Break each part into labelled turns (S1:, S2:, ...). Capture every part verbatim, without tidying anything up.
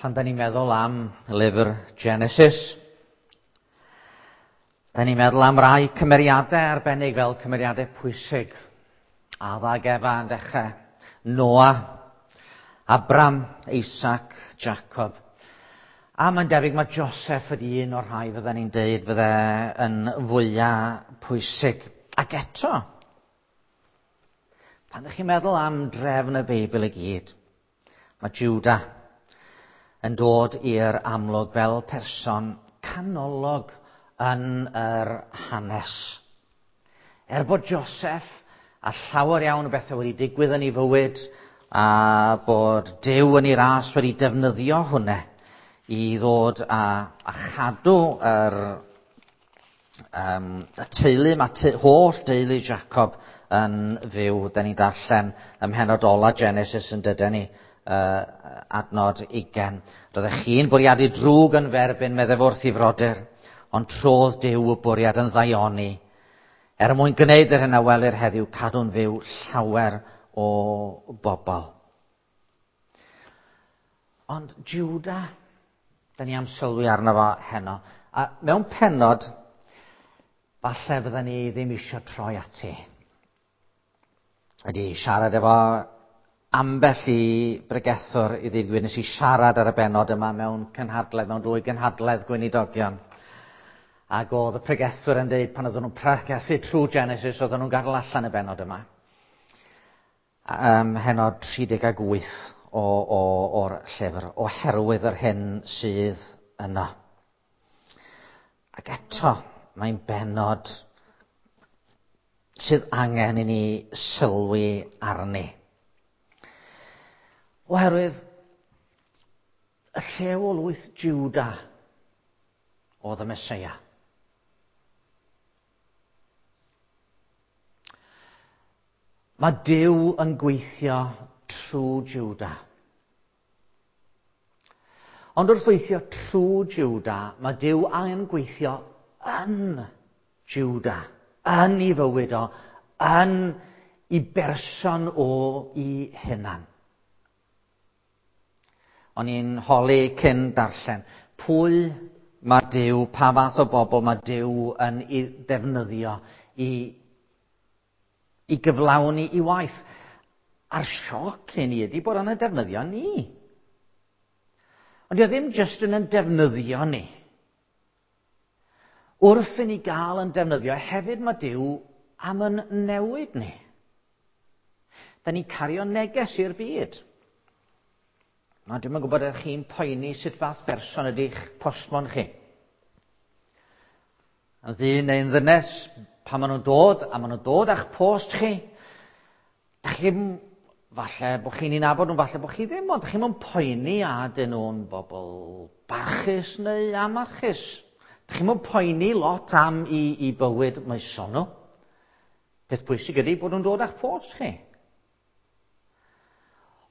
S1: Pan da ni'n meddwl am lyfr Genesis, da ni'n meddwl am rai cymeriadau arbennig fel cymeriadau pwysig. Adda ag Efa yn dechrau, Noa, Abram, Isaac, Jacob. A mae'n debyg mae Joseph ydy un o'r rhai fydden ni'n deud fydde yn fwyaf pwysig. Ac eto, pan ydych chi'n meddwl am drefn y Beibl i gyd, mae Judah yn dod i'r amlwg fel person canolog yn yr hanes. Er bod Joseph a llawer iawn o bethau wedi digwydd yn ei fywyd a bod Duw yn ei ras wedi defnyddio hwnna i ddod a, a chadw yr, um, y teulu, mae te, holl deulu Jacob yn fyw. Da ni'n darllen ym mhennod ola Genesis yn dydyn ni, uh, adnod ugain. Roeddech chi'n bwriadu drwg yn f'erbyn, meddai wrth i frodyr, ond trodd Duw y bwriad yn ddaioni. Er mwyn gwneud yr hyn a welir heddiw, cadw'n fyw llawer o bobl. Ond Judah, da ni am sylwi arno fo heno. A mewn pennod, falle fydden ni ddim eisiau troi ati. Ydy siarad efo ambell i bregethwr i ddweud gwir, nes i siarad ar y bennod yma mewn cynhadledd, mewn dwy gynhadledd gweinidogion. Ac oedd y pregethwyr yn dweud pan oedden nhw'n pregethu trwy Genesis, oedden nhw'n gadael allan y bennod yma. Um, heno tri deg wyth o, o, o'r llyfr, oherwydd yr hyn sydd yno. Ac eto, mae'n bennod sydd angen i ni sylwi arni. Oherwydd y llew o lwyth Judah oedd y Meseia. Mae Duw yn gweithio trwy Judah. Ond wrth weithio trwy Judah, mae Duw angen gweithio yn Judah, yn ei fywyd o, yn ei berson o ei hunan. O'n i'n holi cyn darllen, pwy mae Duw, pa fath o bobl mae Duw yn ei ddefnyddio i, i gyflawni i waith. A'r sioc i ni ydy bod o'n defnyddio ni. Ond dio ddim jyst yn yn defnyddio ni. Wrth i ni gael yn defnyddio, hefyd mae Duw am yn newid ni. Da ni'n cario neges i'r byd. Na, dwi'm yn gwybod ydych chi'n poeni sut fath berson ydy'ch postmon chi. Yn ddyn neu'n ddynes, pan maen nhw'n dod, a maen nhw'n dod â'ch post chi, dach chi'n, falle bod chi'n ei nabod nhw, falle bod chi ddim, ond dach chi'n poeni a dyn nhw'n bobl barchus neu amarchus. Dach chi'n poeni lot am i, i bywyd moesol nhw. Peth pwysig ydy bod nhw'n dod â'ch post chi.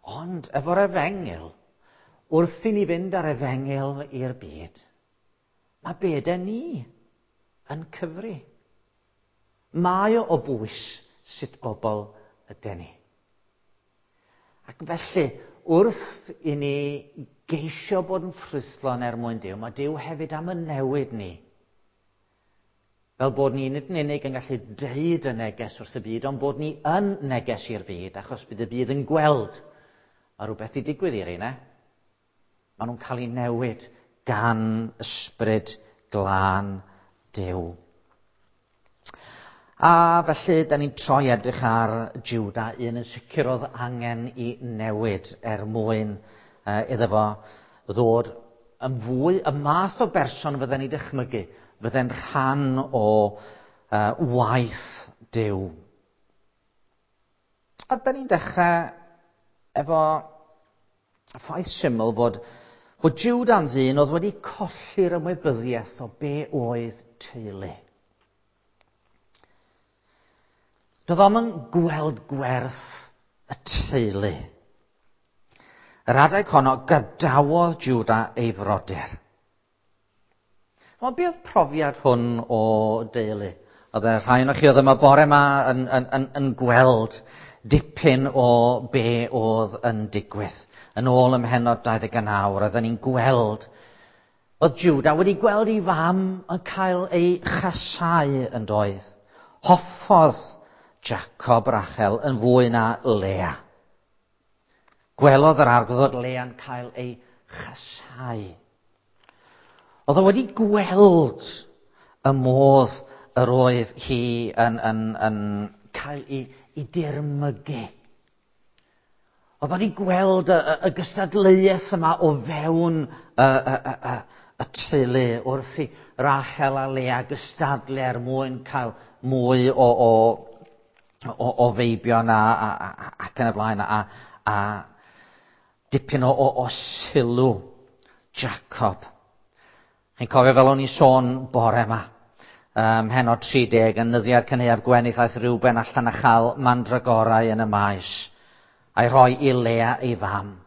S1: Ond efo'r efengyl, wrth i ni fynd ar efengyl i'r byd, mae byd ni yn cyfri. Mae o o bwys sut bobl ydyn ni. Ac felly, wrth i ni geisio bod yn ffrwythlon er mwyn Duw, mae Duw hefyd am y newid ni. Fel bod ni nid yn unig yn gallu deud y neges wrth y byd, ond bod ni yn neges i'r byd, achos bydd y byd yn gweld mae rhywbeth i digwydd i'r un, e? Maen nhw'n cael eu newid gan ysbryd glân Duw. A felly, da ni'n troi edrych ar Judah, un yn sicr oedd angen i newid er mwyn uh, iddo fo ddod yn fwy y math o berson fydden ni'n dychmygu, fydde'n rhan o uh, waith Duw. A da ni'n dechrau efo ffaith syml fod, fod Judah'n ddyn oedd wedi colli'r ymwybyddiaeth o be oedd teulu. Doedd o'm yn gweld gwerth y teulu. Yr adeg honno gadawodd Judah ei frodyr. Ond be oedd profiad hwn o deulu? Oedd y rhai ohonoch chi oedd yma bore yma yn, yn, yn, yn gweld dipyn o be oedd yn digwydd Yn ôl ym mhennod dau ddeg naw, roedden ni'n gweld, oedd Judah wedi gweld ei fam yn cael ei chasau yn doedd. Hoffodd Jacob Rachel yn fwy na Lea. Gwelodd yr arglwydd fod Lea'n cael ei chasau. Oedd o wedi gweld y modd yr oedd hi yn, yn, yn cael ei, ei dirmygu. Oedd wedi gweld y, y, y gystadleuaeth yma o fewn y, y, y, y, y teulu wrth i Rachel a Lea gystadlu er mwyn cael mwy o, o, o, o feibion a, a, a, ac yn y blaen a, a dipyn o, o, o sylw Jacob. Chi'n cofio fel o'n i sôn bore yma, um, heno tri deg, yn nyddiau'r cynhaeaf gwenith aeth Reuben allan a chael mandragorau yn y maes, a'i rhoi i Lea ei fam.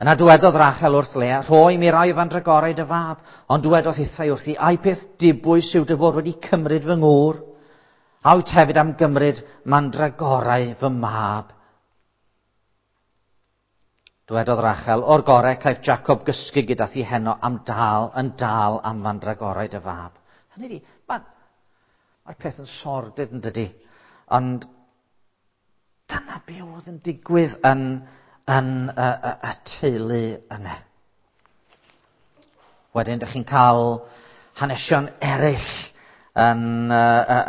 S1: Yna dywedodd Rachel wrth Lea, rhoi mi rai o fandragorau dy fab, ond dywedodd hithau wrthi, ai peth dibwys yw dy fod wedi cymryd fy ngŵr, a wyt hefyd am gymryd mandragorau fy mab. Dywedodd Rachel, o'r gorau caiff Jacob gysgu gyda thi heno am dal, yn dal am fandragorau dy fab. Hynny ydi, mae'r ma peth yn sordid yn dydi, ond dyna be oedd yn digwydd yn, yn y, y, y teulu yna. Wedyn, dych chi'n cael hanesion eraill yn, y,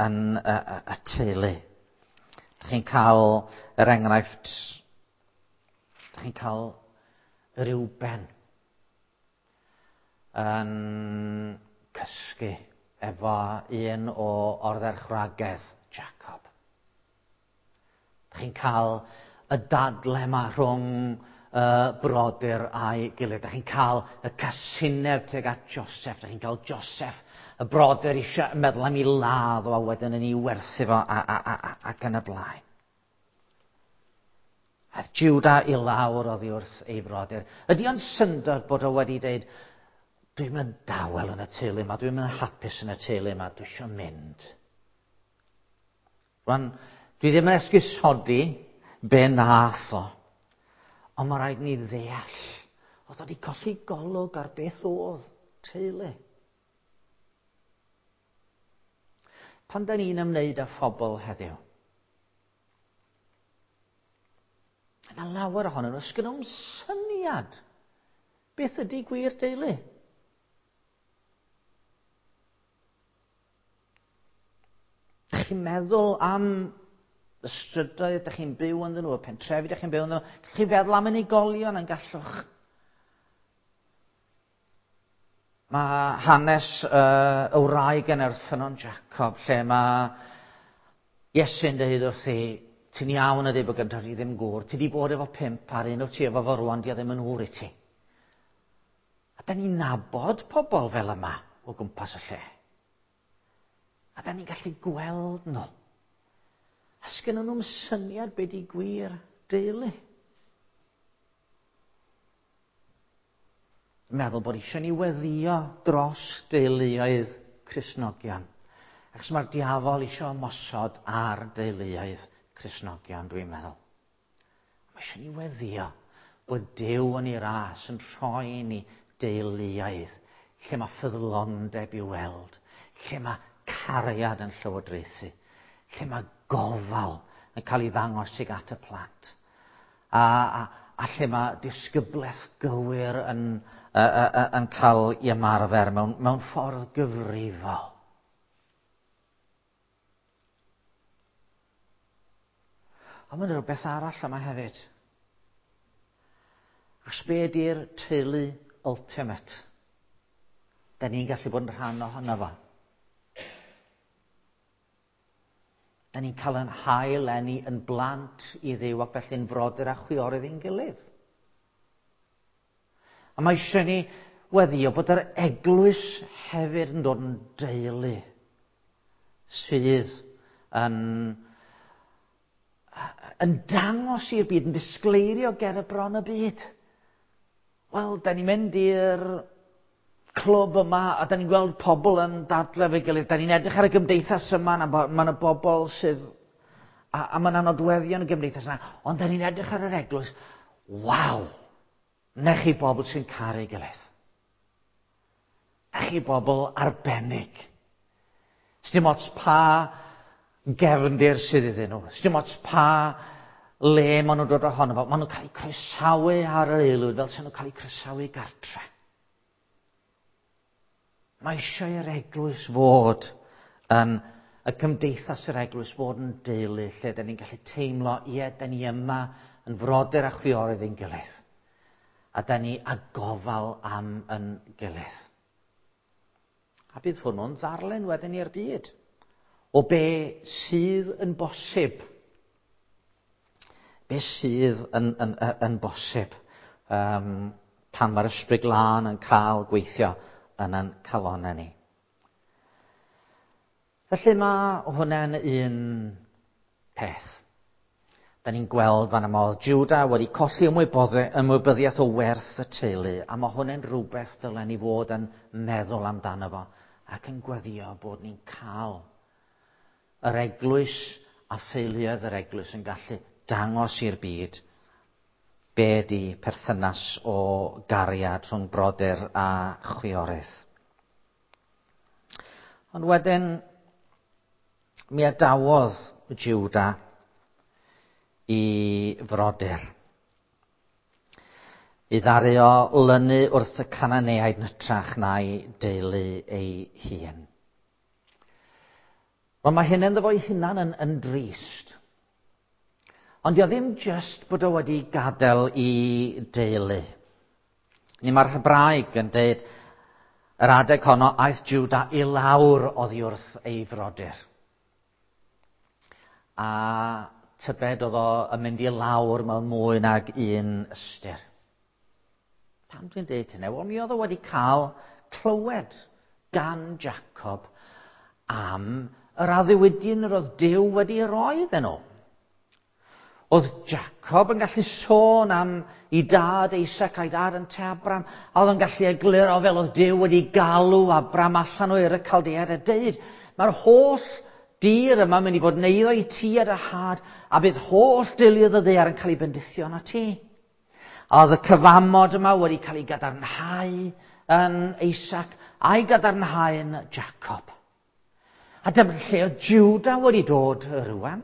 S1: yn y, y teulu. Dych chi'n cael yr enghraifft, dych chi'n cael Reuben yn cysgu efo un o ordderchwragedd Jacob. Dych chi'n cael y dadle yma rhwng uh, brodyr a'i gilydd. Dych chi'n cael y casineb tuag at Joseph. Dych chi'n cael Joseph, y brodyr eisiau meddwl am ei ladd o a wedyn yn ei werthu fo a, a, a, a, ac yn y blaen. Aeth Judah i lawr oddi wrth ei frodyr. Ydy o'n syndod bod o wedi dweud, dwi'n mynd dawel yn y teulu yma, dwi'n mynd hapus yn y teulu yma, dwi eisiau mynd. Rwan, dwi ddim yn esgusodi be nath o, ond mae rhaid ni ddeall, oedd o wedi colli golwg ar beth oedd teulu. Pan da ni'n ymwneud â phobl heddiw, yna lawer ohonyn nhw, sgyn nhw'm syniad beth ydy gwir deulu. Dych chi'n meddwl am y strydoedd ydych chi'n byw ynddyn nhw, y pentrefi ydych chi'n byw ynddyn nhw, gallwch chi feddwl am unigolion yn gallwch. Mae hanes uh, y wraig yn Ffynnon Jacob, lle mae Iesu'n dweud wrthi, ti'n iawn ydy bod gyda ti ddim gŵr, ti di bod efo pump ar un o ti efo fo rwan, di o ddim yn ŵr i ti. A da ni'n nabod pobl fel yma o gwmpas y lle. A da ni'n gallu gweld nhw. A sgynnon nhw'm syniad be di gwir deulu. Meddwl bod eisiau ni weddio dros deuluoedd Cristnogion. Achos mae'r diafol eisiau ymosod ar deuluoedd Cristnogion, dwi'n meddwl. Mae eisiau ni weddio bod Duw yn ei ras yn rhoi ni deuluoedd lle mae ffyddlondeb i'w weld, lle mae cariad yn llywodraethu, lle mae gofal yn cael ei ddangos tuag at y plant, a, a, a lle mae disgyblaeth gywir yn, uh, uh, yn cael ei ymarfer mewn, mewn ffordd gyfrifol. Ond mae'n rhywbeth arall yma hefyd. Achos be ydy'r teulu ultimate? Da ni'n gallu bod yn rhan ohono fo. Da ni'n cael yn hael eni yn blant i Dduw ac felly'n frodyr a chwiorydd i'n gilydd. A mae eisiau ni weddio bod yr eglwys hefyd yn dod yn deulu sydd yn, yn dangos i'r byd, yn disgleirio ger y bron y byd. Wel, da ni'n mynd i'r clwb yma a da ni'n gweld pobl yn dadlau efo'i gilydd. Da ni'n edrych ar y gymdeithas yma, a mae yna bobl sydd, a, a mae yna nodweddion y gymdeithas yna, ond da ni'n edrych ar yr eglwys. Waw! Na chi bobl sy'n caru gilydd. Na chi bobl arbennig. Sdim ots pa gefndir sydd iddyn nhw. Sdim ots pa le maen nhw'n dod ohono fo. Maen nhw'n cael eu croesawu ar yr aelwyd fel sy'n nhw'n cael eu croesawu gartre. Mae eisiau i'r eglwys fod yn y cymdeithas yr eglwys fod yn deulu lle da ni'n gallu teimlo, ie, da ni yma yn frodyr a chwiorydd ein gilydd. A da ni a gofal am yn gilydd. A bydd hwnnw'n ddarllen wedyn i'r byd o be sydd yn bosib. Be sydd yn, yn, yn, yn bosib um, pan mae'r Ysbryd Glân yn cael gweithio yn ein calonnau ni. Felly mae hwnna'n un peth. Da ni'n gweld fan yma oedd Judah wedi colli ymwybyddiaeth o werth y teulu, a mae hwnna'n rhywbeth dylen ni fod yn meddwl amdano fo ac yn gweddio bod ni'n cael yr eglwys a theuluoedd yr eglwys yn gallu dangos i'r byd be di perthynas o gariad rhwng brodyr a chwiorydd. Ond wedyn mi adawodd Judah i frodyr. I ddaru o lynu wrth y Cananeaid yn hytrach na'i deulu ei hun. Wel, mae hyn ynddo fo'i hunan yn, yn drist. Ond dio ddim just bod o wedi gadael i deulu. Ni mae'r Hebraeg yn deud yr adeg honno aeth Judah i lawr oddi wrth ei frodyr. A tybed oedd o yn mynd i lawr mewn mwy nag un ystyr. Pam dwi'n deud hynny? Wel, mi oedd o wedi cael clywed gan Jacob am yr addewidion yr oedd Duw wedi roi iddyn nhw. Oedd Jacob yn gallu sôn am ei dad Isaac a'i dad yn Abraham, a oedd yn gallu egluro fel oedd Duw wedi galw Abraham allan o Ur y Caldeaid a deud, mae'r holl dir yma mynd i fod yn eiddo i ti a dy had, a bydd holl deuluoedd y ddaear yn cael ei bendithio na ti. A oedd y cyfamod yma wedi cael ei gadarnhau yn Isaac a'i gadarnhau yn Jacob. A dyma lle oedd Judah wedi dod rwan.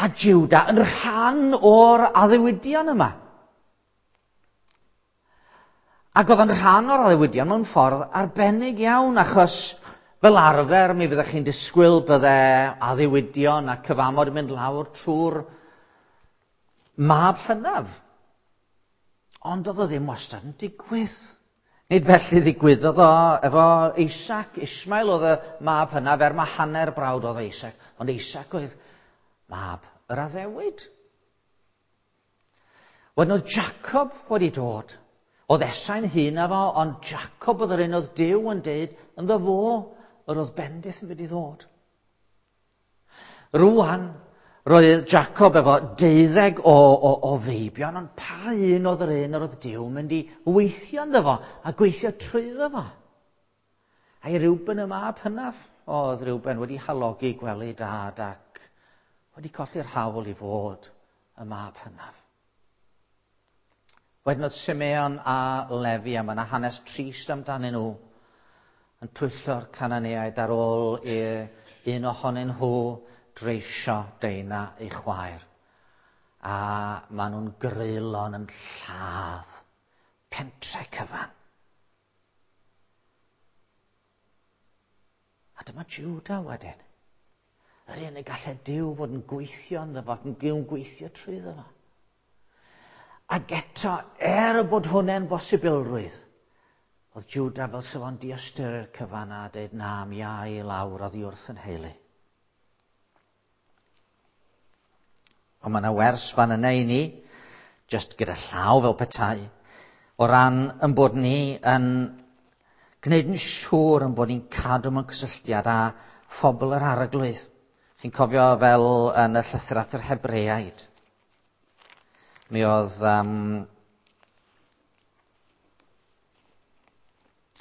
S1: A Judah yn rhan o'r addewidion yma. Ac oedd yn rhan o'r addewidion mewn ffordd arbennig iawn, achos fel arfer mi fyddech chi'n disgwyl bydde addewidion a cyfamod yn mynd lawr trwy'r mab hynaf. Ond oedd o ddim wastad yn digwydd. Nid felly ddigwyddodd o efo Isaac. Ismael oedd y mab hynaf, er mae hanner brawd oedd Isaac. Ond Isaac oedd mab yr addewid. Wedyn oedd Jacob wedi dod. Oedd Esau'n hŷn na fo, ond Jacob oedd yr un oedd Duw yn deud ynddo fo yr oedd bendith yn mynd i ddod. Rwan, roedd Jacob efo deuddeg o, o, o feibion, ond pa un oedd yr un yr oedd Duw mynd i weithio ynddo fo a gweithio trwyddo fo? A i Reuben y mab hynaf, oedd Reuben wedi halogi gwely dad ac wedi colli'r hawl i fod y mab hynaf. Wedyn oedd Simeon a Lefi, a mae yna hanes trist amdanyn nhw, yn twyllo'r Cananeaid ar ôl i un ohonyn nhw dreisio Deina ei chwaer. A maen nhw'n greulon yn lladd pentre cyfan. A dyma Judah wedyn. Yr un y gallai Duw fod yn gweithio ynddo fo, yn gweithio trwyddo fo. Ac eto, er bod hwnna'n bosibilrwydd, oedd Judah fel sef o'n diystyru'r cyfan a dweud, na, mi a i lawr oddi wrth yn heulu. Ond mae yna wers fan yna i ni, just gyda llaw fel petai, o ran yn bod ni yn gwneud yn siŵr yn bod ni'n cadw mewn cysylltiad â phobl yr Arglwydd. Chi'n cofio fel yn y llythyr at yr Hebreaid. Mi oedd um,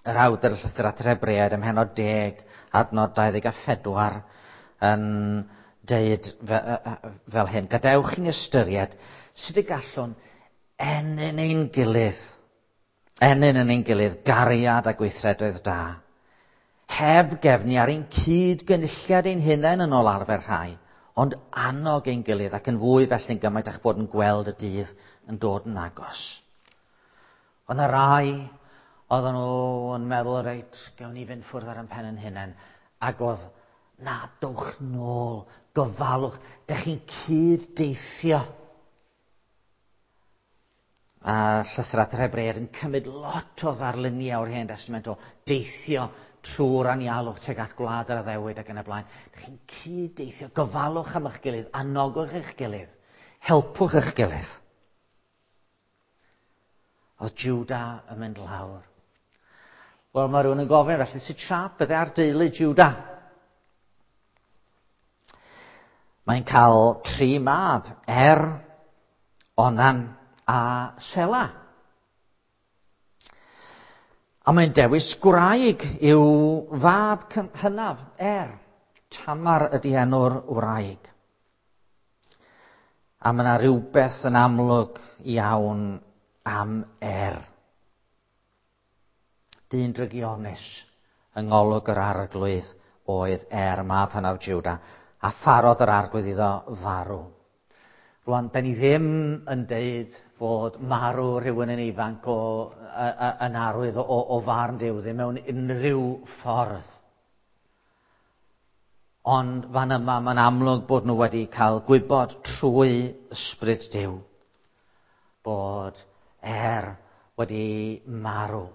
S1: yr awdur y llythyr at yr Hebreaid ym mhennod deg, adnod dau ddeg a phedwar yn deud fel hyn. Gadewch i ni ystyried Sut y gallwn ennyn ein gilydd, ennyn yn ein gilydd gariad a gweithredoedd da, heb gefnu ar ein cyd-gynulliad ein hunain yn ôl arfer rhai, ond annog ein gilydd ac yn fwy felly'n gymaint â'ch bod yn gweld y dydd yn dod yn agos. Ond y rai oedden nhw yn meddwl, reit, gawn ni fynd ffwrdd ar ein pen ein hunain, ac oedd, na, dowch nôl, gofalwch, dych chi'n cyd-deithio. A llythyr at yr Hebreaid yn cymryd lot o ddarluniau o'r Hen Destament o deithio trwy'r anialwch tuag at gwlad yr addewid ac yn y blaen. Dych chi'n cyd-deithio, gofalwch am eich gilydd, anogwch eich gilydd, helpwch eich gilydd. Oedd Juda yn mynd lawr. Wel, mae rhywun yn gofyn felly, sut siâp bydde ar deulu Juda? Mae'n cael tri mab, Er, Onan a Sela. A mae'n dewis gwraig i'w fab hynaf, Er. Tamar ydy enw'r wraig. A mae yna rhywbeth yn amlwg iawn am Er. Dyn drygionus yng ngolwg yr Arglwydd oedd Er, mab hynaf Juda, a pharodd yr Arglwydd iddo farw. Rwan, da ni ddim yn deud fod marw rhywun yn ifanc o, a, a, yn arwydd o, o farn Duw, ddim mewn unrhyw ffordd. Ond fan yma, mae'n amlwg bod nhw wedi cael gwybod trwy ysbryd Duw bod Er wedi marw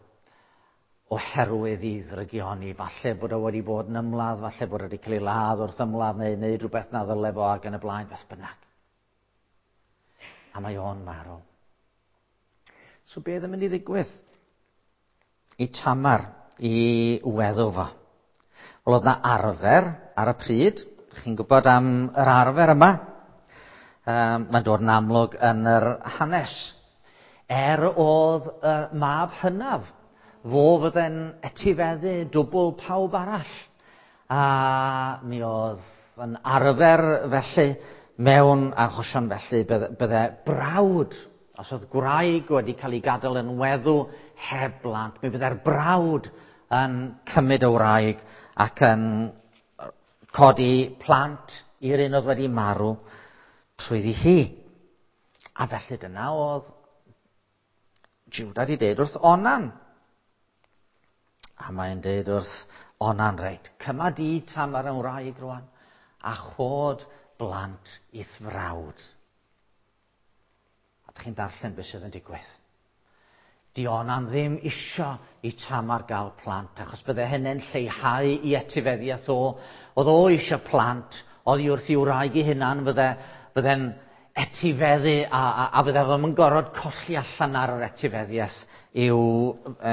S1: oherwydd i ddrygioni. Falle bod o wedi bod yn ymladd, falle bod o wedi cael ei ladd wrth ymladd neu wneud rhywbeth na ddyle fo ac yn y blaen, beth bynnag. A mae o'n marw. So beth yn mynd i ddigwydd i Tamar, i weddw fo? Wel, oedd na arfer ar y pryd. Chi'n gwybod am yr arfer yma. Um, mae'n dod yn amlwg yn yr hanes. Er oedd y mab hynaf, fo fydde'n etifeddu dwbl pawb arall. A mi oedd yn arfer felly, mewn achosion felly, bydde, bydde brawd, os oedd gwraig wedi cael ei gadael yn weddw heb blant, mi fydde'r brawd yn cymryd y wraig ac yn codi plant i'r un oedd wedi marw trwyddi hi. A felly dyna oedd Juda wedi deud wrth Onan. A mae'n deud wrth Onan, reit, cyma di Tamar yn wraig rwan, a chod blant i'th frawd. A dych chi'n darllen beth sydd yn digwydd. Di Onan ddim isio i Tamar gael plant, achos bydde hynny'n lleihau i etifeddiaeth o. Oedd o isio plant, oedd i wrth i wraig i hunan, fydde, fydde'n etifeddu a, a, a fydde fo'm yn gorfod colli allan ar yr etifeddiaeth i'w,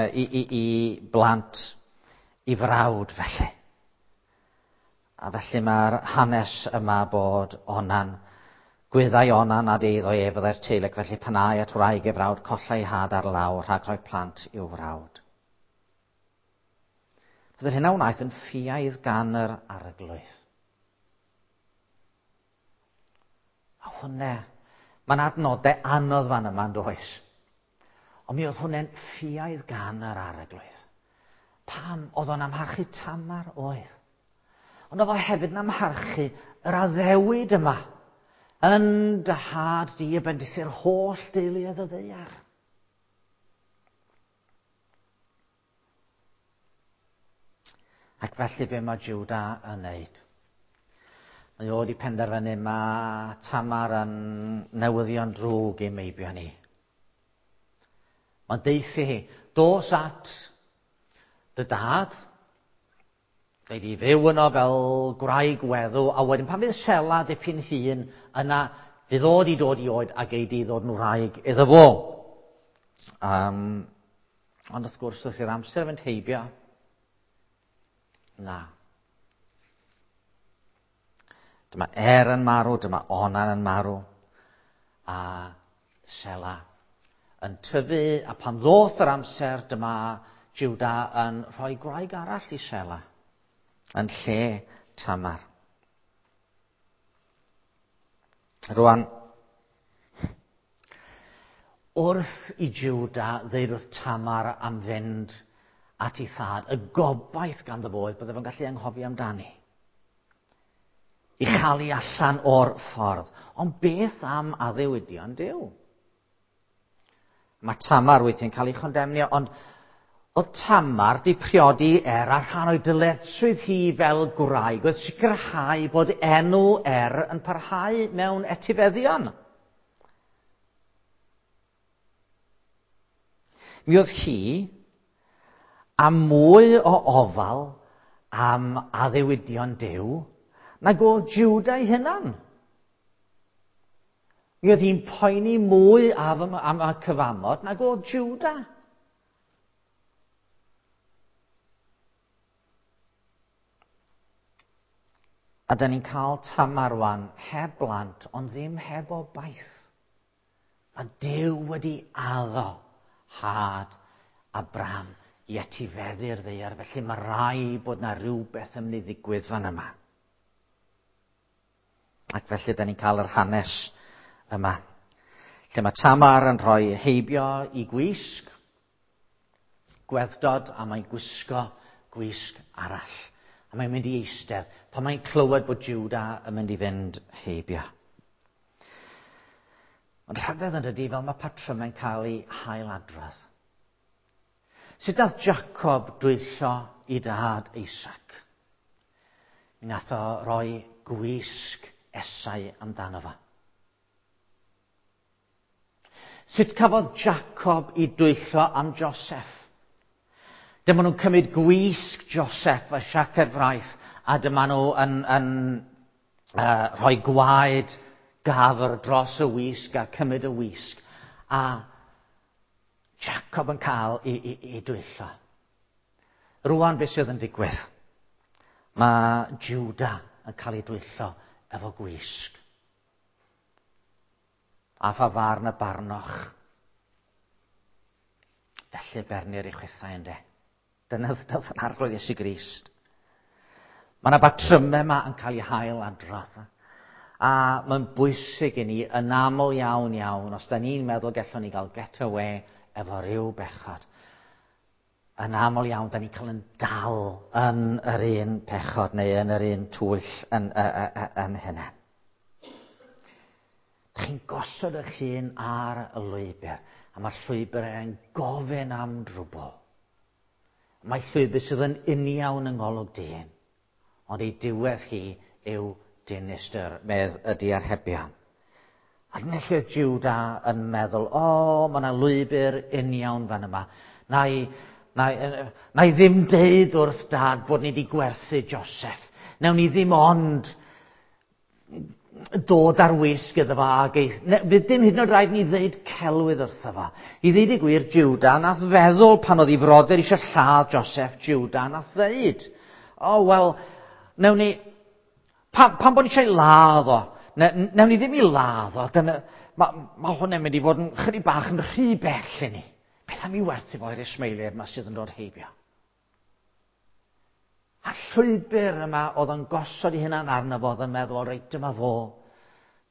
S1: i, i, i blant i frawd felly. A felly mae'r hanes yma bod Onan, gwyddai Onan nad eiddo ef fyddai'r teulu, ac felly pan âi at wraig ei frawd, collai had ar law rhag rhoi plant i'w frawd. Byddai'r hyn a wnaeth yn ffiaidd gan yr Arglwydd. A hwnne, mae'n adnodau anodd fan yma, yn does? Ond mi oedd hwnne'n ffiaidd gan yr Arglwydd. Pam? Oedd o'n amharchu Tamar? Oedd. Ond oedd o hefyd yn amharchu yr addewid yma. Yn dy had di y bendithu'r holl deuluoedd y ddaear. Ac felly be mae Juda yn wneud? Mae o wedi penderfynu mae Tamar yn newyddion drwg i meibion ni. Mae'n deithi hi, dos at dy dad, dweud i fyw yno fel gwraig weddw, a wedyn pan fydd Sela dipyn hŷn, yna fydd o wedi dod i oed a gei di ddod yn wraig iddo fo. Um, ond wrth gwrs, wrth i'r amser fynd heibio, na. Dyma Er yn marw, dyma Onan yn marw, a Sela yn tyfu, a pan ddoth yr amser, dyma Juda yn rhoi gwraig arall i Sela, yn lle Tamar. Rwan, Wrth i Juda ddeud wrth Tamar am fynd at ei thad, y gobaith ganddo fo oedd bydde fo'n gallu anghofio amdani. I chael ei allan o'r ffordd. Ond beth am addewidion Duw? Mae Tamar weithiau'n cael ei chondemnio, ond oedd Tamar di priodi Er a rhan o'i dyletswydd hi fel gwraig oedd sicrhau bod enw Er yn parhau mewn etifeddion. Mi oedd hi a mwy o ofal am addewidion Duw nag oedd Juda ei hunan. Mi oedd hi'n poeni mwy am, am y cyfamod nag oedd Juda. A da ni'n cael Tamar rwan heb blant, ond ddim heb obaith. Mae Duw wedi addo had Abraham i etifeddu'r ddaear, felly mae rai bod na rhywbeth yn mynd i ddigwydd fan yma. Ac felly da ni'n cael yr hanes yma, lle mae Tamar yn rhoi heibio i gwisg, gweddod, a mae'n gwisgo gwisg arall. A mae'n mynd i eistedd pan mae'n clywed bod Juda yn mynd i fynd heibio. Ond rhyfedd yn dydi, fel mae patrymau'n cael ei hailadrodd. Sut nath Jacob dwyllo i dad Isaac? Mi nath o roi gwisg Esau amdano fo. Sut cafodd Jacob i dwyllo am Joseph? Dyma nhw'n cymryd gwisg Joseph a siaced fraith, a dyma nhw yn, yn uh, rhoi gwaed gafr dros y wisg a cymryd y wisg. A Jacob yn cael ei, ei, ei dwyllo. Rwan beth sydd yn digwydd? Mae Juda yn cael ei dwyllo efo gwisg. A pha farn y barnoch? Felly bernir i chwithau ynde. Dyna ddodd yn Arglwydd Iesu Grist. Mae yna batrymau yma yn cael eu hail adrodd. A mae'n bwysig i ni yn aml iawn iawn, os da ni'n meddwl gallwn ni gael get away efo ryw bechod. Yn aml iawn, da ni'n cael yn dal yn yr un pechod neu yn yr un twyll yn, yn, yn hynna. Chi'n gosod eich hun ar y lwybr, a mae'r llwybr yn gofyn am drwbl. Mae llwybr sydd yn uniawn yng ngolwg dyn, ond ei diwedd hi yw dinistr, medd y diarhebion. A dyna lle Juda yn meddwl, o, oh, mae yna lwybr uniawn fan yma. Na i, na i, na i ddim deud wrth dad bod ni wedi gwerthu Joseph. Nawn ni ddim ond dod ar wisg iddo fo ag eith... Ne, fydd dim hyd yn oed rhaid ni ddeud celwydd wrtho fo. I ddeud y gwir, Juda nath feddwl pan oedd ei frodyr eisiau lladd Joseph, Juda nath ddeud, o, oh, wel, nawn ni... Pam, pam bod ni eisiau ladd o? Ne, nawn ni ddim i ladd o. Dyna, mae ma hwnna'n mynd i fod yn chydig bach yn rhy bell i ni. Beth am i werthu fo i'r Ismaeliaid yma sydd yn dod heibio? A llwybr yma oedd yn gosod ei hunan arno fo, oedd yn meddwl, reit, dyma fo,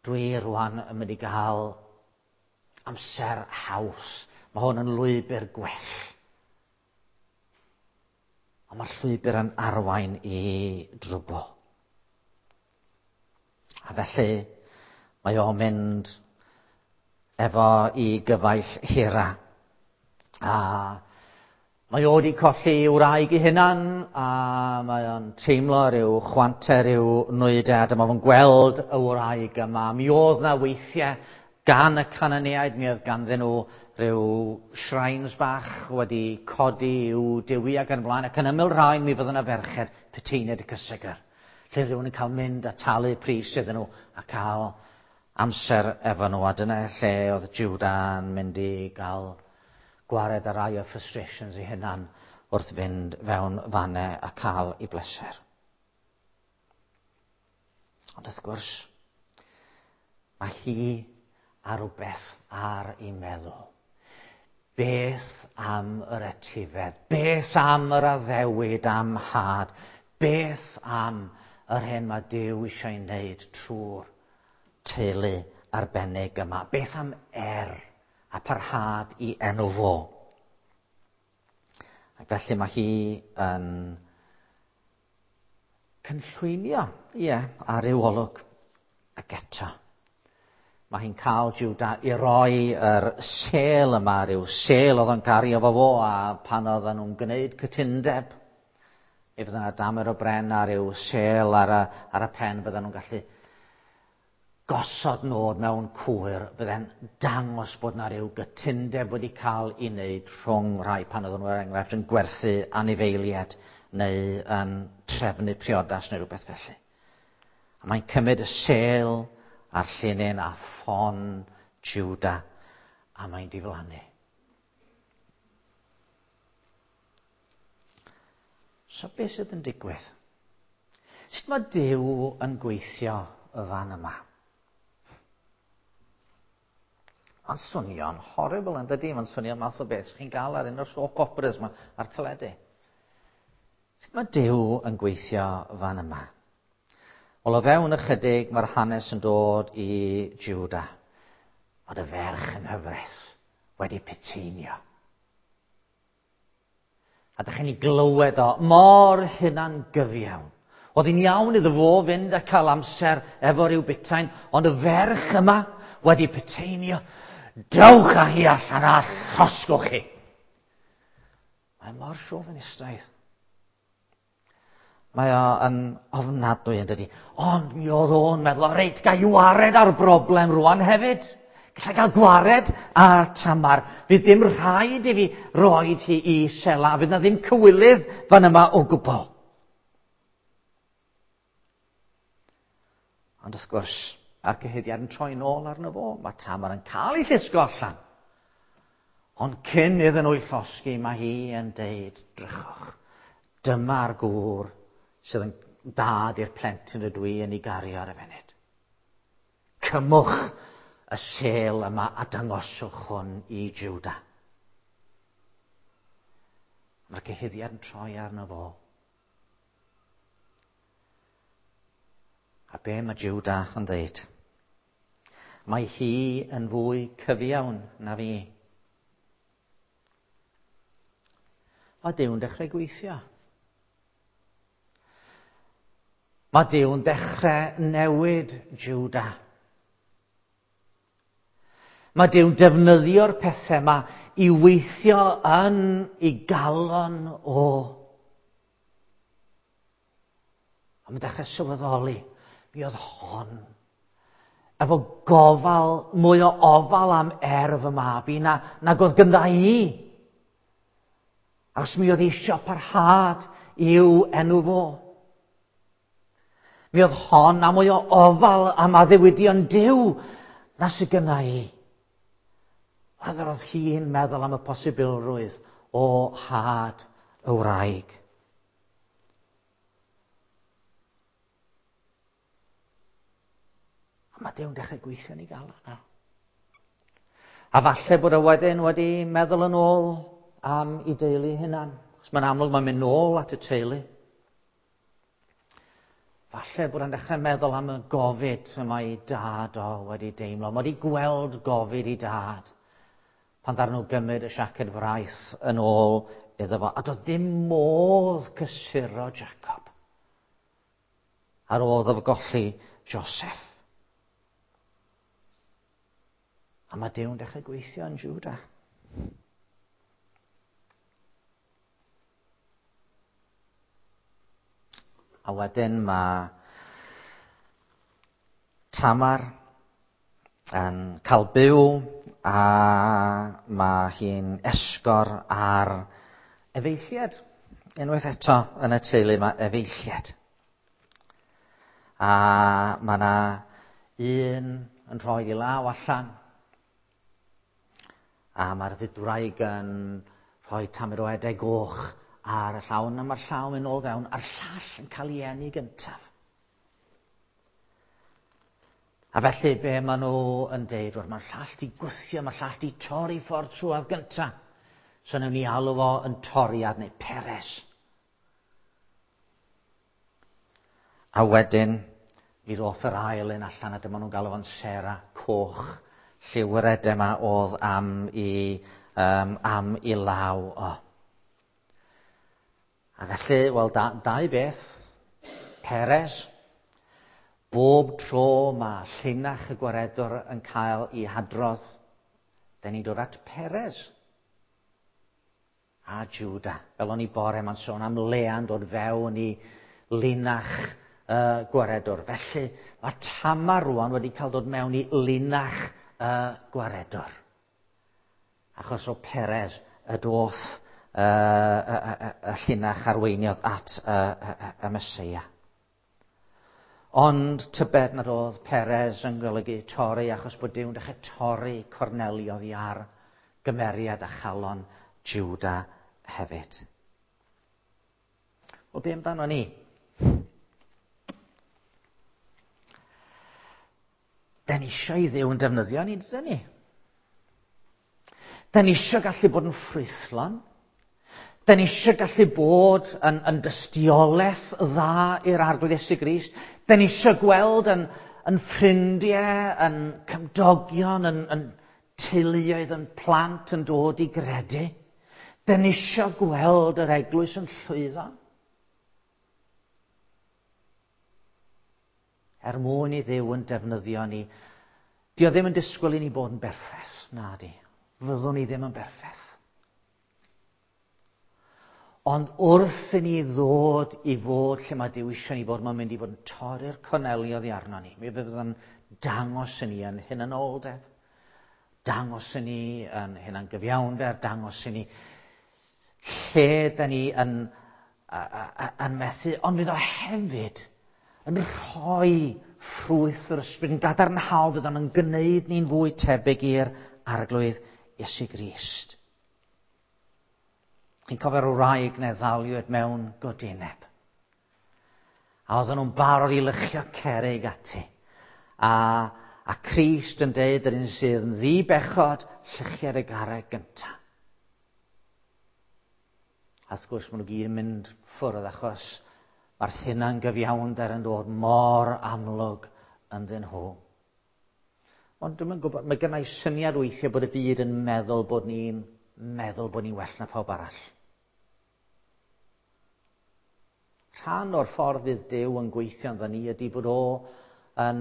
S1: dwi rwan yn mynd i gael amser haws. Mae hwn yn lwybr gwell. Ond mae'r llwybr yn arwain i drwbl. A felly mae o'n mynd efo i gyfaill Hira. A mae o wedi colli ei wraig ei hunan, a mae o'n teimlo rhyw chwantau, rhyw nwydau, a dyma fo'n gweld y wraig yma. Mi oedd na weithiau gan y Cananeaid, mi oedd ganddyn nhw rhyw shrines bach wedi codi i'w dewi ac yn blaen, ac yn ymyl rhain mi fydd yna ferched puteiniaid y cysegr, lle rhywun yn cael mynd a talu pris iddyn nhw a cael amser efo nhw. A dyna lle oedd Juda'n mynd i gael gwared ar rai o frustrations ei hunan wrth fynd fewn fanne a cael ei bleser. Ond wrth gwrs, mae hi a rhywbeth ar ei meddwl. Beth am yr etifedd? Beth am yr addewid am had? Beth am yr hyn mae Duw eisiau ei wneud trwy'r teulu arbennig yma? Beth am Er A parhad i enw fo. Ac felly mae hi yn cynllwynio, ie, ar ryw olwg. Ac eto, mae hi'n cael Juda i roi yr sêl yma, rhyw sêl oedd o'n gario fo fo, a pan oedden nhw'n gwneud cytundeb, mi fydde yna damer o bren a rhyw sêl ar y, ar y pen, bydden nhw'n gallu gosod nod mewn cwyr, bydde'n dangos bod yna rhyw gytundeb wedi cael ei wneud rhwng rhai pan oedden nhw, er enghraifft, yn gwerthu anifeiliaid neu yn trefnu priodas neu rhywbeth felly. A mae'n cymryd y sêl a'r llinyn a ffon Juda a mae'n diflannu. So beth sydd yn digwydd? Sut mae Duw yn gweithio y fan yma? Mae'n swnio'n horrible yn dydi? Mae'n swnio'n math o beth chi'n gael ar un o'r soap operas yma ar teledu. Sut mae Duw yn gweithio fan yma? Wel, o fewn ychydig mae'r hanes yn dod i Juda. Ond y ferch yng nghyfraith wedi puteinio. A dych chi'n ei glywed o mor hunan gyfiawn. Oedd hi'n iawn iddo fo fynd a cael amser efo rhyw butain, ond y ferch yma wedi puteinio. Dewch â hi allan a llosgwch chi. Mae mor chauvinistaidd. Mae o yn ofnadwy yn dydi. Ond mi oedd o'n meddwl, reit, ga i wared ar broblem rwan hefyd. Gallai gael gwared a Tamar. Fydd dim rhaid i fi roed hi i Sela. Fydd na ddim cywilydd fan yma o gwbl. Ond wrth gwrs, a'r cyhuddiad yn troi nôl arno fo. Mae Tamar yn cael ei llusgo allan. Ond cyn iddyn nhw ei llosgi, mae hi yn deud, drychwch, dyma'r gŵr sydd yn dad i'r plentyn ydw i yn ei gario ar y funud. Cymwch y sêl yma a dangoswch hwn i Juda. Mae'r cyhuddiad yn troi arno fo. A be mae Juda yn dweud? Mae hi yn fwy cyfiawn na fi. Mae Duw'n dechrau gweithio. Mae Duw'n dechrau newid Juda. Mae Duw'n defnyddio'r pethau yma i weithio yn ei galon o. A mae'n dechrau sylweddoli, mi oedd hon efo gofal, mwy o ofal am erf y mab i na, nag oedd gyda i. Achos mi oedd eisiau parhad i'w enw fo. Mi oedd hon a mwy o ofal am addewidion Duw na sydd gynna i. Oedd oedd hi'n meddwl am y posibilrwydd o had y wraig. A mae Duw'n dechrau gweithio yn ei galon yna. A falle bod y wedyn wedi meddwl yn ôl am ei deulu hunan. Achos mae'n amlwg mae'n mynd nôl at y teulu. Falle bod o'n dechrau meddwl am y gofid y mae ei dad o wedi deimlo. Mae wedi gweld gofid ei dad pan ddaru nhw gymryd y siaced fraith yn ôl iddo fo. A doedd dim modd cysuro Jacob ar ôl iddo fo golli Joseph. A mae Duw'n dechrau gweithio yn Juda. A wedyn mae Tamar yn cael byw a mae hi'n esgor ar efeilliad. Unwaith eto yn y teulu mae efeilliad. A mae yna un yn rhoi ei law allan. A mae'r fydwraig yn rhoi tamed o edau goch ar y llaw, a mae'r llaw yn ôl fewn, a'r llall yn cael ei eni gyntaf. A felly be maen nhw yn deud, wel, mae'r llall di gwthio, mae'r llall di torri ffordd trwadd gyntaf. So newn ni alw fo yn toriad neu Peres. A wedyn, mi ddoth yr ail un allan, a dyma nhw'n galw fo'n Sera, coch, Lliw yr yma oedd am i, um, am i law o. A felly, wel, da, dau beth. Peres, bob tro mae llinach y gwaredwr yn cael ei hadrodd, da ni'n dod at Peres a Juda. Fel o'n i bore ma'n sôn am Lea'n dod fewn i linach y uh, gwaredwr. Felly mae Tamar rwan wedi cael dod mewn i linach y uh, gwaredwr. Achos o Peres y doth uh, y, y, y llinach arweiniodd at y, y, y Meseia. Ond tybed nad oedd Peres yn golygu torri, achos bod Duw'n dechrau torri corneli oddi ar gymeriad a chalon Juda hefyd. Wel, be amdano ni? Da ni eisiau i Dduw yn defnyddio ni, dydyn ni? Da ni eisiau gallu bod yn ffrwythlon. Da ni eisiau gallu bod yn, yn dystiolaeth dda i'r Arglwydd Iesu Grist. Da ni eisiau gweld yn, yn ffrindiau, yn cymdogion, yn, yn teuluoedd, yn plant yn dod i gredu. Da ni eisiau gweld yr eglwys yn llwyddo. Er mwyn i Dduw yn defnyddio ni. Dio ddim yn disgwyl i ni bod yn berffaith, na di. Fyddwn ni ddim yn berffaith. Ond wrth i ni ddod i fod lle mae Duw eisiau ni fod, mae'n mynd i fod yn torri'r corneli oddi arno ni. Mi fydd yn dangos i ni yn hunanoldeb, dangos i ni yn hunangyfiawnder, dangos i ni lle da ni yn, yn methu, ond fydd o hefyd yn rhoi ffrwyth yr ysbryd yn gadarnhaol, fydd o'n gwneud ni'n fwy tebyg i'r Arglwydd Iesu Grist. Chi'n cofio'r wraig neu ddaliwyd mewn godineb. A oedden nhw'n barod i lychio cerrig ati. A, a Crist yn deud yr un sydd yn ddi-bechod, llychiad y garreg gyntaf. A wrth gwrs maen nhw gyd yn mynd ffwrdd achos mae'r hunangyfiawnder yn dod mor amlwg ynddyn nhw. Ond dwi'm yn gwybod, mae gennau syniad weithiau bod y byd yn meddwl bod ni'n meddwl bod ni'n well na pawb arall. Rhan o'r ffordd fydd Duw yn gweithio ynddo ni ydy bod o yn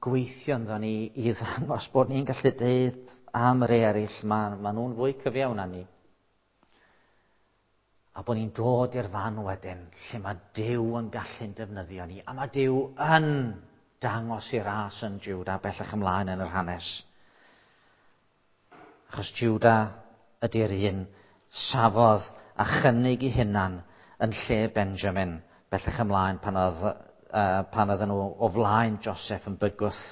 S1: gweithio ynddo ni i ddangos bod ni'n gallu deud am yr eraill, ma, ma nhw'n fwy cyfiawn na ni. A bod ni'n dod i'r fan wedyn lle mae Duw yn gallu'n defnyddio ni. A mae Duw yn dangos i ras yn Juda bellach ymlaen yn yr hanes. Achos Juda ydy'r un safodd a chynnig i hunan yn lle Benjamin bellach ymlaen pan oedd, uh, pan oedden nhw o flaen Joseph yn bygwth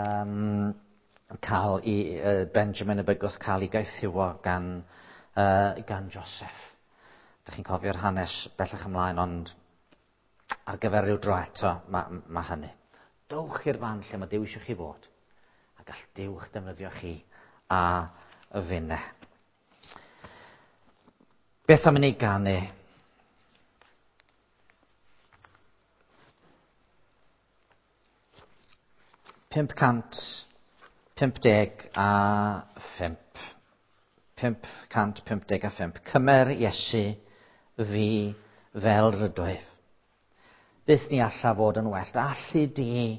S1: um, cael i, uh, Benjamin yn bygwth cael ei gaethiwo gan, uh, gan Joseph. Dych chi'n cofio'r hanes bellach ymlaen, ond ar gyfer rhyw dro eto mae, ma hynny. Dowch i'r fan lle mae Duw eisiau chi fod, a gall Duw eich defnyddio chi a y finne. Beth am i ni ganu? Pump cant pump deg a phump. Pump cant pump deg a phump. Cymer Iesu fi fel rydwyf. Byth ni alla fod yn well. Allu di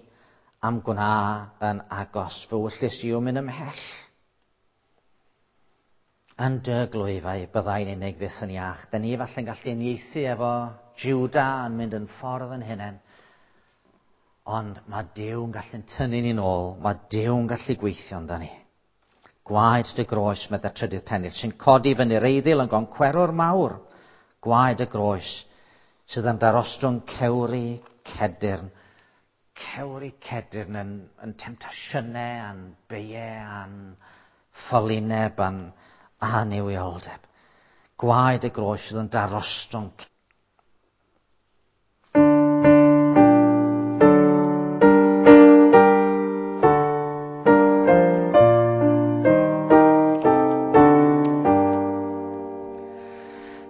S1: am gwna yn agos. Fy wyllys i yw mynd ymhell. Yn dy glwyfau byddai'n unig fyth yn iach. Da ni falle'n gallu uniaethu efo Juda yn mynd yn ffordd yn hunain. Ond mae Duw yn gallu'n tynnu ni'n ôl. Mae Duw yn gallu gweithio amdani ni. Gwaed dy groes, medda trydydd pennill, sy'n codi fyny'r eiddil yn goncwerwr mawr. Gwaed y groes sydd yn darostwng cewri cedyrn. Cewri cedyrn yn, yn temtasiynau, a'n beiau, a'n ffolineb, a'n annuwioldeb. Gwaed y groes sydd yn darostwng.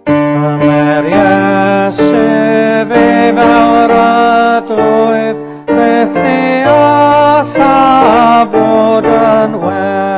S2: Cymer Iesu fi fel rydwyf, byth ni alla fod yn well.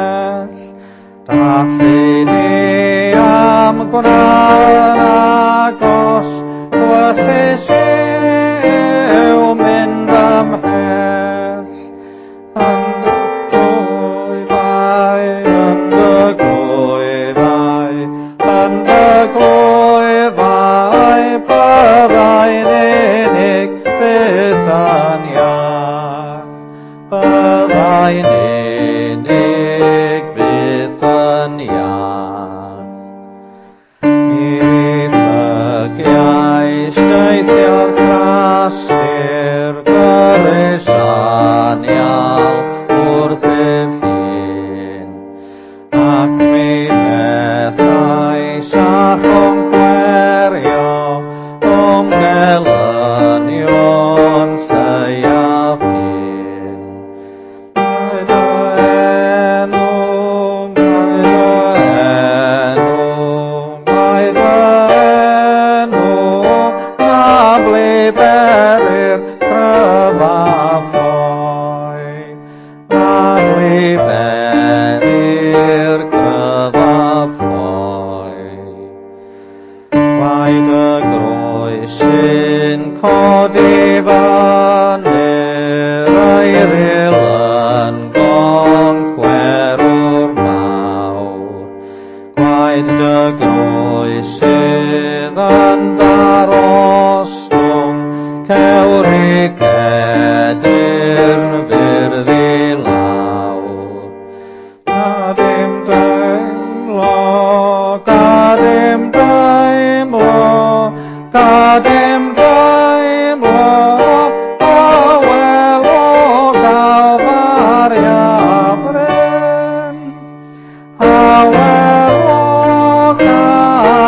S2: anial wrthyf hun. Ac mi fethais â choncwerio o'm gelynion lleiaf hun. Mae dy enw, mae dy enw, mae dy enw, na ble berir cryfaf ffoi. Na ble berir cryfaf ffoi. Gwaed y groes sy'n codi fyny'r eiryl yn goncwerwr mawr. Gwaed dy groes sydd yn darostwng cewri cedyrn fyrdd i lawr. Gad im deimlo, gad im deimlo, gad im deimlo, awel o Galfaria fryn. Awel o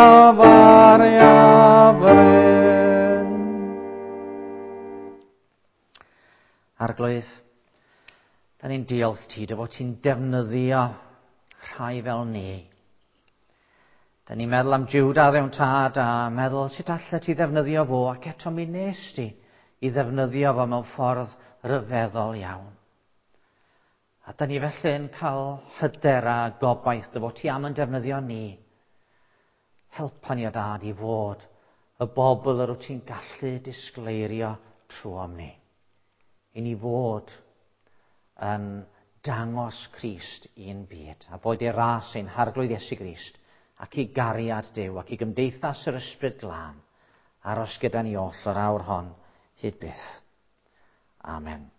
S2: Galfaria fryn.
S1: Arglwydd, da ni'n diolch ti dy fod ti'n defnyddio rhai fel ni. Da ni'n meddwl am Judah ddewn tad a meddwl sut allet ti ddefnyddio fo, ac eto mi nes ti i ddefnyddio fo mewn ffordd ryfeddol iawn. A da ni felly'n cael hyder a gobaith dy fod ti am yn defnyddio ni. Helpa ni o dad i fod y bobl yr wyt ti'n gallu disgleirio trwom ni. I ni fod yn dangos Crist i'n byd, a boed ei ras ein Harglwydd Iesu Grist, ac i gariad Duw, ac i gymdeithas yr Ysbryd Glân, aros gyda ni oll yr awr hon hyd byth. Amen.